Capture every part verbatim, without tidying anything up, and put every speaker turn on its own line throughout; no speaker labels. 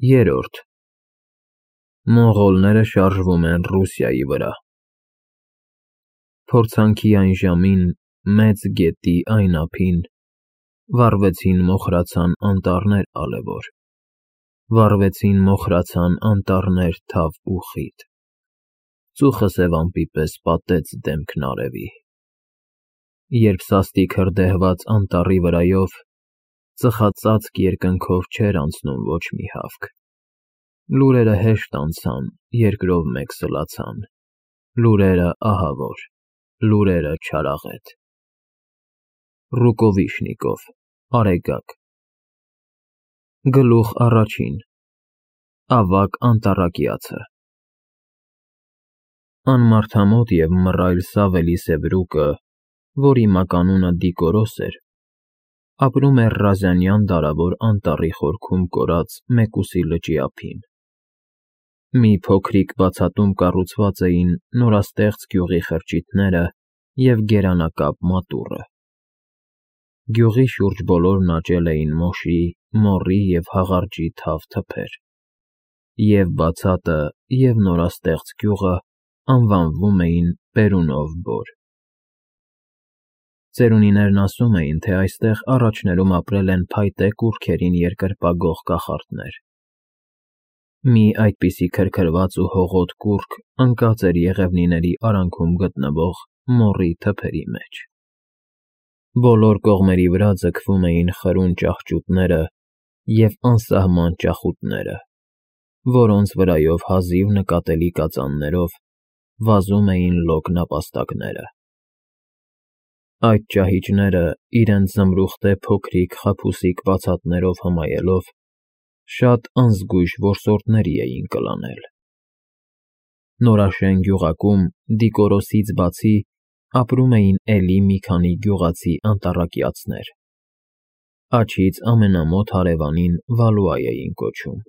Երրորդ Մոնղոլները շարժվում են Ռուսիայի վրա։ Փորձանքի այն ժամին, մեծ գետի այն ափին, վառվեցին մոխրացան անտառներ ալևոր, վառվեցին մոխրացան անտառներ թավ ու խիտ, ծուխը սև ամպի պես պատեց դեմքն արևի, երբ սաստիկ հրդեհված անտառի վրայով ծխածածկ երկնքով չէր անցնում ոչ մի հավք, լուրերը հեշտ անցան, երկրով մեկ սլացան, լուրերը ահավոր, լուրերը չարաղետ։ Ռուկովիշնիկով, Արեգակ Գլուխ առաջին Ավագ անտառակիացը Անմարդամոտ և մռայլ Սավելի Սևրուկը, որի մականունը Դիկորոս էր, ապրում էր Ռազանյան դարավոր անտառի խորքում կորած Մեկուսի լճի ափին։ Մի փոքրիկ բացատում կառուցված էին նորաստեղծ գյուղի խրճիթները և գերանակապ մատուռը։ Գյուղի շուրջ բոլորն աճել էին մոշի, մոռի և հաղարջի թավ թփեր, և բացատը, և նորաստեղծ գյուղը անվանվում էին Պերունով Բոր։ Ծերունիներն ասում էին, թե այստեղ առաջներում ապրել են փայտե կուռքերին երկրպագող կախարդներ։ Մի այդպիսի քրքրված ու հողոտ կուռք ընկած էր Եղևնիների արանքում գտնվող մոռի թփերի մեջ։ Բոլոր կողմերի վրա ձգվում էին խրուն ճահճուտները և անսահման ճախուտները, որոնց վրայով հազիվ նկատելի կածաններով վազում էին լոկ նապաստակները։ Այդ ճահիճները, իրենց զմրուխտե փոքրիկ խաբուսիկ բացատներով հմայելով, շատ անզգույշ որսորդների էին կլանել։ Նորաշեն գյուղակում Դիկորոսից բացի ապրում էին էլի մի քանի գյուղացի անտառակիացներ։ Աջից ամենամոտ հարևանին Վալուա էին կոչում։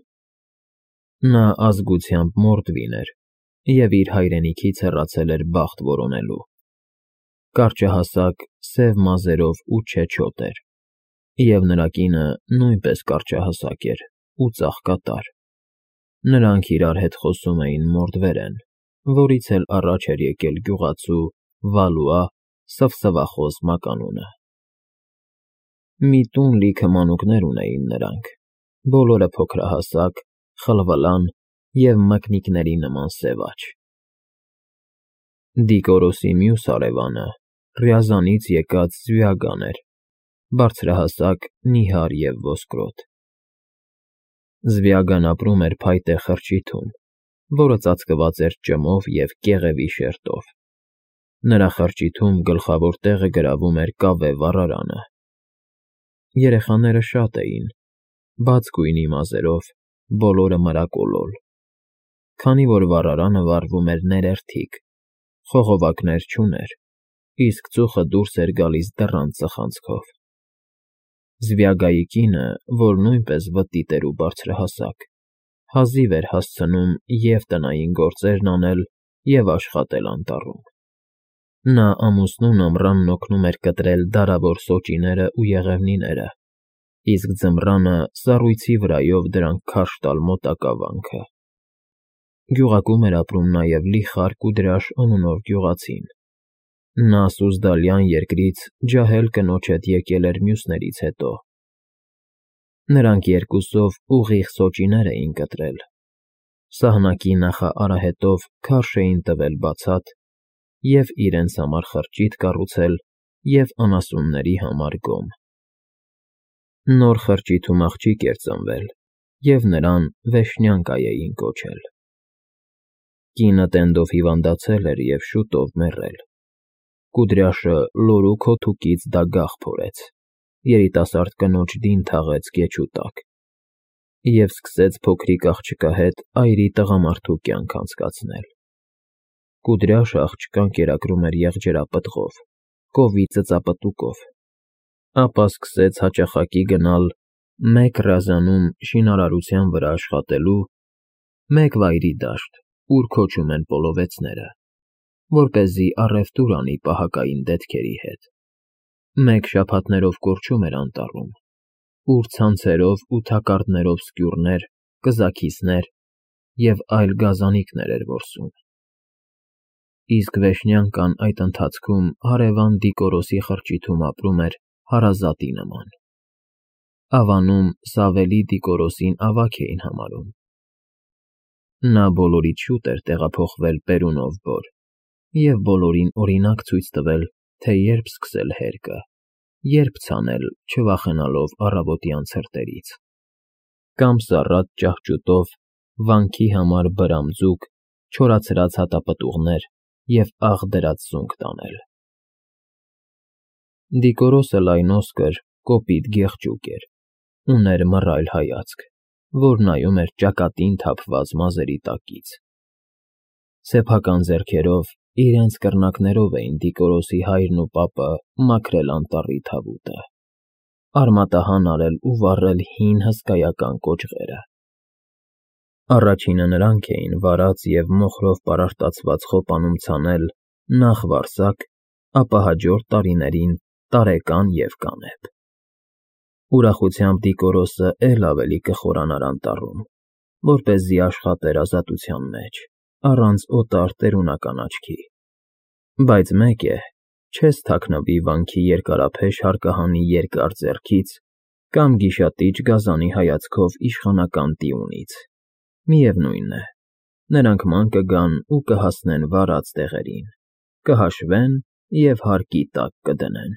Նա ազգությամբ մորդվին էր և իր հայրենիքից հեռացել էր բախտ որոնելու։ Կարճահասակ, սև մազերով ու չեչոտ էր, և նրա կինը նույնպես կարճահասակ էր ու ծաղկատար։ Նրանք իրար հետ խոսում էին մորդվերեն, որից էլ առաջ էր եկել գյուղացու Վալուա սվսվախոս մականունը։ Մի տուն լիքը մանուկներ ունեին նրանք, բոլորը փոքրահասակ, խլվլան և մկնիկների նման սև աջ։ Դիկորոսի մյուս հարևանը Ռյազանից եկած Զվյագան էր, բարձրահասակ, նիհար և ոսկրոտ։ Զվյագան ապրում էր փայտե խրճիթում, որը ծածկված էր ճմով և կեղևի շերտով։ Նրա խրճիթում գլխավոր տեղը գրավում էր կավե վառարանը։ Երեխաները շատ էին, բաց գույնի մազերով, բոլորը մրակոլոլ։ Քանի որ վառարանը վառվում էր ներերթիկ, խողովակներ չուներ, իսկ ծուխը դուրս էր գալիս դռան ծխանցքով։ Զվյագայի կինը, որ նույնպես վտիտ էր ու բարձրահասակ, հազիվ էր հասցնում և տնային գործերն անել, և աշխատել անտառում։ Նա ամուսնուն ամռանն օգնում էր կտրել դարավոր սոճիներն ու եղևնիները, իսկ ձմռանը սառույցի վրայով դրանք քարշ տալ մոտակա վանքը։ Գյուղակում էր ապրում նաև Լիխար Կուդրաշ անունով գյուղացին։ Նա Սուզդալյան երկրից ջահել կնոջ հետ եկել էր մյուսներից հետո։ Նրանք երկուսով ուղիղ սոճիներ էին կտրել, սահնակի նախարահետով քարշ էին տվել բացատ և իրենց համար խրճիթ կառուցել և անասունների համար գոմ։ Նոր խրճիթում աղջիկ էր ծնվել, և նրան Վեշնյանկա էին կոչել։ Կինը տենդով հիվանդացել էր և շուտով մեռել։ Կուդրյաշը լորու քոթուկից դագաղ փորեց, երիտասարդ կնոջ դին թաղեց գեչու տակ և սկսեց փոքրիկ աղջկա հետ այրի տղամարդու կյանք անցկացնել։ Կուդրյաշը աղջկան կերակրում էր եղջերապտղով, կովի ծծապտուկով, ապա սկսեց հաճախակի գնալ մեկ Ռազանում շինարարության վրա աշխատելու, մեկ Վայրի դաշտ, ուր քոչում են պոլովեցները, որպեսզի առևտուր անի պահակային դետքերի հետ, մեկ շաբաթներով կորչում էր անտառում, ուր ցանցերով ու թակարդներով սկյուռներ կզաքիսներ և այլ գազանիկներ էր որսում։ Իսկ Վեշնյանկան այդ ընթացքում հարևան Դիկորոսի խրճիթում ապրում էր հարազատի նման։ Ավանում Սավելի Դիկորոսին ավագ էին համարում։ Նա բոլորից շուտ էր տեղափոխվել Պերունով Բոր և բոլորին օրինակ ցույց տվել, թե երբ սկսել հերկը, երբ ցանել, չվախենալով առավոտյան ցրտերից։ Կամ սառած ճահճուտով վանքի համար բրամձուկ, չորացրած հատապտուղներ և աղ դրած զունգ տանել։ Դիկորոսը լայնոսկր, կոպիտ գեղջուկ էր, ուներ մռայլ հայացք, որ նայում էր ճակատին թափված մազերի տակից։ Սեփական ձեռքերով, իրենց կռնակներով էին Դիկորոսի հայրն ու պապը մաքրել անտառի թավուտը, արմատահան արել ու վառել հին հսկայական կոճղերը։ Առաջինը նրանք էին վարած և մոխրով պարարտացված խոպանում ցանել նախ վարսակ, ապա հաջորդ տարիներին տարեկան և կանեփ։ Ուրախությամբ Դիկորոսը էլ ավելի կխորանար անտառում, որպեսզի աշխատեր ազատության մեջ, առանց օտար տերունական աչքի։ Բայց մեկ է, չես թաքնվի վանքի երկարափեշ հարկահանի երկար ձեռքից կամ գիշատիչ գազանի հայացքով իշխանական տիունից։ Միևնույն է, նրանք ման կգան ու կհասնեն վարած տեղերին, կհաշվեն և հարկի տակ կդնեն։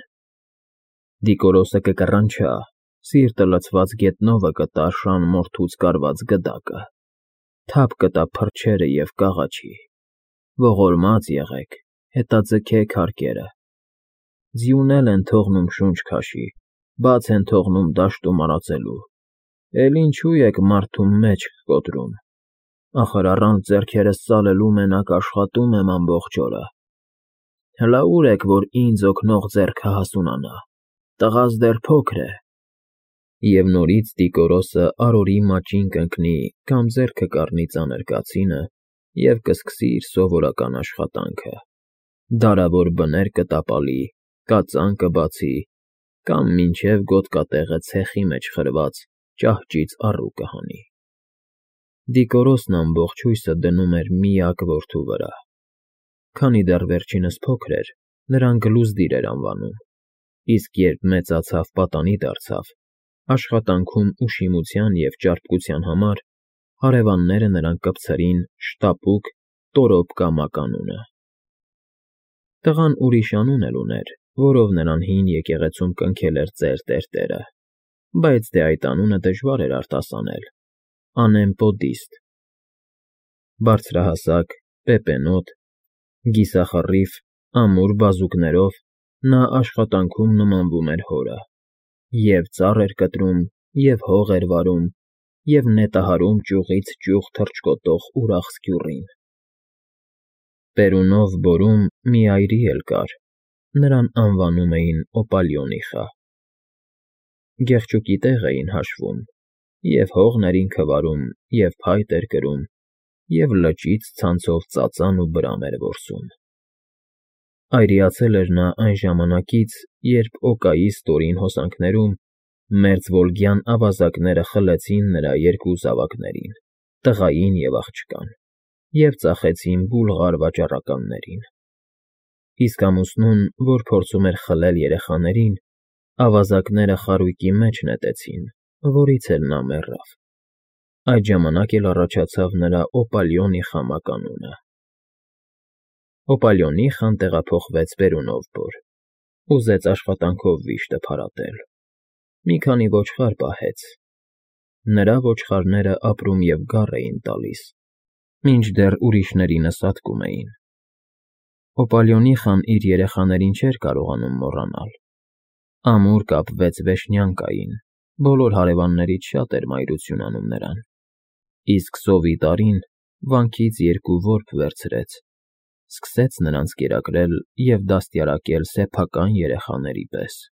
Դիկորոսը կկռանչա, սիրտը լցված գետնովը կտա շան մորթուց կարված գդակը, թափ կտա փրչերը և կաղաչի. ողորմած եղեք, հետաձգեք հարկերը։ Ձյուն են թողնում շունչ քաշի, բաց են թողնում դաշտում արածելու, էլ ինչու եք մարդու մեջք կոտրում։ Ախր առանց ձեռքերս ծալելու մենակ աշխատում եմ ամբողջ օրը։ Հլա ուր եք, որ ինձ օգնող ձեռքը հասունանա, տղաս դեռ փոքր է։ Եվ նորից Դիկորոսը արորի մաճին կընկնի կամ ձեռքը կառնի ծանր կացինը և կսկսի իր սովորական աշխատանքը, դարավոր բներ կտապալի, կածան կբացի կամ մինչև գոտկատեղը ցեխի մեջ խրված ճահճից առու կհանի։ Դիկորոսն ամբողջ հույսը դնում էր միակ որդու վրա։ Քանի դեռ վերջինս փոքր էր, նրան Գլուզդիր էր անվանում, իսկ երբ մեծացավ, պատանի դարձավ, աշխատանքում ուշիմության և ճարպկության համար հարևանները նրան կպցրին Շտապուկ Տորոպկա մականունը։ Տղան ուրիշ անուն էլ ուներ, որով նրան հին եկեղեցում կնքել էր ծեր տերտերը, բայց դե այդ անունը դժվար էր արտասանել՝ Անեմպոդիստ։ Բարձրահասակ, պեպենոտ, կիսախռիվ, ամուր բազուկներով նա աշխատանքում նմանվում էր հորը, և ծառ էր կտրում, և հող էր վարում, և նետահարում ճյուղից ճյուղ թռչկոտող ուրախ սկյուռին։ Պերունով Բորում մի այրի էլ կար, նրան անվանում էին Օպալիոնիխա։ Գեղչուկի տեղ էին հաշվում, և հողն էր ինքը վարում, և փայտ էր կրում, և լճից ցանցով ծածան ու բրամ էր որսում։ Այրիացել էր նա այն ժամանակից, երբ Օկայի ստորին հոսանքներում մերձվոլգյան ավազակները խլեցին նրա երկու զավակներին՝ տղային և աղջկան, և ծախեցին բուլղար վաճառականներին։ Իսկ ամուսնուն, որ փորձում էր խլել երեխաներին, ավազակները խարույկի մեջ նետեցին, որից էլ նա մեռավ։ Այդ ժամանակ էլ առաջացավ նրա Օպալիոնիխա մականունը։ Օպալիոնիխան տեղափոխվեց Պերունով Բոր, ուզեց աշխատանքով վիշտը փարատել։ Մի քանի ոչխար պահեց։ Նրա ոչխարները ապրում և գառ էին տալիս, մինչդեռ ուրիշների նսատկում էին։ Օպալիոնիխան իր երեխաներին չէր կարողանում մոռանալ։ Ամուր կապվեց Վեշնյանկային, բոլոր հարևաններից շատ էր մայրություն անում նրան, իսկ սովի տարին վանքից երկու որբ վերցրեց, սկսեց նրանց կերակրել և դաստիարակել սեփական երեխաների պես։